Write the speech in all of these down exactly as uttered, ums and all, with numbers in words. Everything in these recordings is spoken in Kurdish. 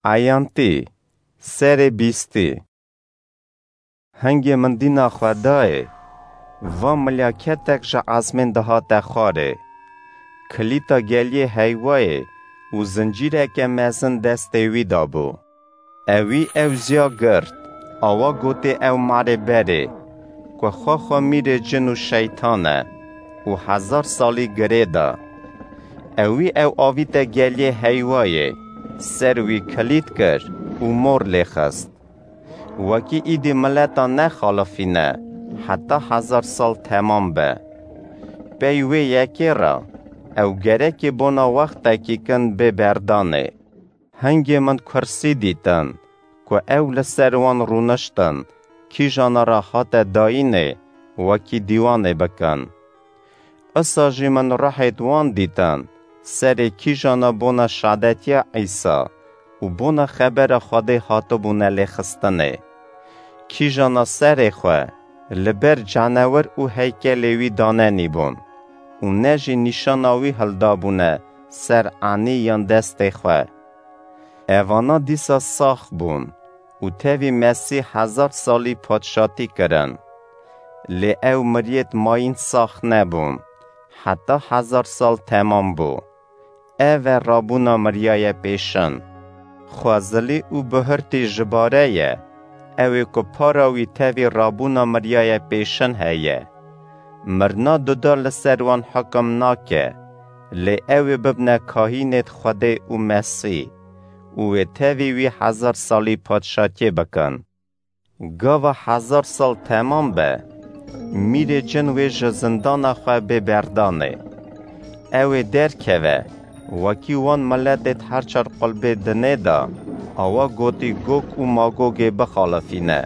Eyantî, serê bîstî. Hingê min dîna xwe dayê, va milyaketek ji ezmên dihate xwarê. Kilîta geliyê heyvayê û zincîreke mezin destê wî de bû. Ewî ew ziya girt, awa gotê ew marê berê, ku xwe xwe mîrê cin û şeytan e û hezar salî girê da. Ewî ew avîte geliyê heyvayê, ser wî kilît kir û mor lê xist. Wekî îdî mileta nexalifîne, heta hezar sal temam be. Pey wê yekê re, ew gerekê bona wextekî kin bê berdanê. Hingê min kursî dîtin, ku ew li ser wan rûniştin, kîjana re hate dayînê, wekî dîwanê bikin. Isa jî min ruhêt wan dîtin, serê kîjana bona şadetiya Îsa û bona xebera Xwedê hatibûne lêxistinê. Kîjana serê xwe li ber canewir û heykelê wî danenîbûn û ne jî nîşana wî hildabûne ser enî yan destê xwe. Evana dîsa sax bûn û tevî Mesîh hezar salî padşatî kirin. Lê ew miriyêt mayîn sax nebûn, heta hezar sal temam bû. Ev e rabûna miriyaye pêşin. Xwezilî û bihurtî ji bare ye, ew ê ku para wî tevî rabûna miriyaye pêşin heye. Mirina duda li ser wan hikim nake, lê ew ê bibne kahînêt Xwedê û Mesîh û wê tevî wî hezar salî padşatiyê bikin. Gava hezar sal temam be, mîrê cin wê ji zindana xwe bê berdanê. Ew ê derkeve, wekî wan miletêt her çar qulbê dinê de, awa gotî Gog û Magogê bixalifîne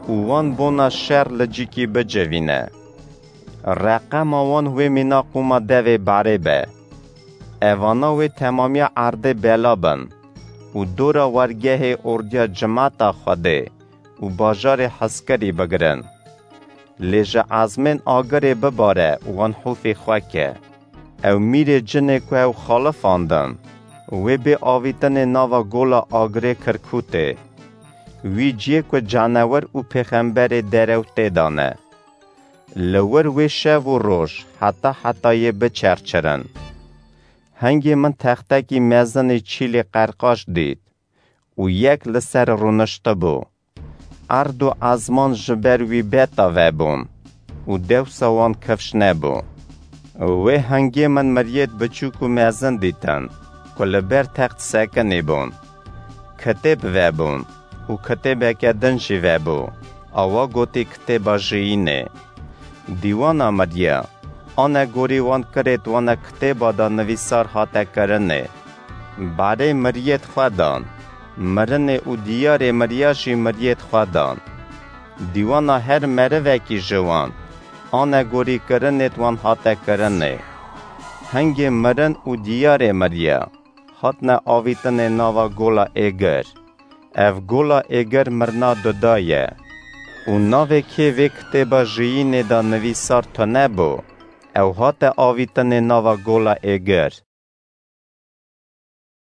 û wan bona şer li cîkî bicivîne. Reqema wan wê mîna qûma devê barê be. Evana wê temamiya erdê bela bin û dora wergehê ordiya cimata Xwedê û bajarê hezkirî bigirin. Lê ji ezmên agirê bibare wan hûfê xwe ke. Ew mîrê cinê ku ew xalifandin, wê bê avîtinê nava gola agirê Kirkûtê. Wî ciyê ku canewir û pêxemberê derew tê de ne. Li wir wê şev û roj heta hetayê biçerçirin. Hingê min textekî mezinê çîlê qerqaş dît û yek li ser rûniştibû. Erd û ezman ji ber wî beta vebûn û dewsa wan kifş nebû. Wê hingê min miriyêt biçûk û mezin dîtin ku li ber text sekinî bûn. Kitêb vebûn û kitêbeke din jî vebû, awa gotî kitêba jiyînê. Dîwana miriya, anegorî wan kirêt wana kitêba de nivîsar hate kirinê. Barê miriyêt xwe dan, mirinê û diyarê miriya jî miriyêt xwe dan. Dîwana her merivekî ji wan, anegorî kirinêt wan hate kirinê. Hingê mirin û diyarê miriya, hatine avîtinê nava gola êgir. Ev gola êgir mirina duda ye. Û navê kê vê kitêba jiyînê de nivîsar tune bû, ew hate avîtinê nava gola êgir.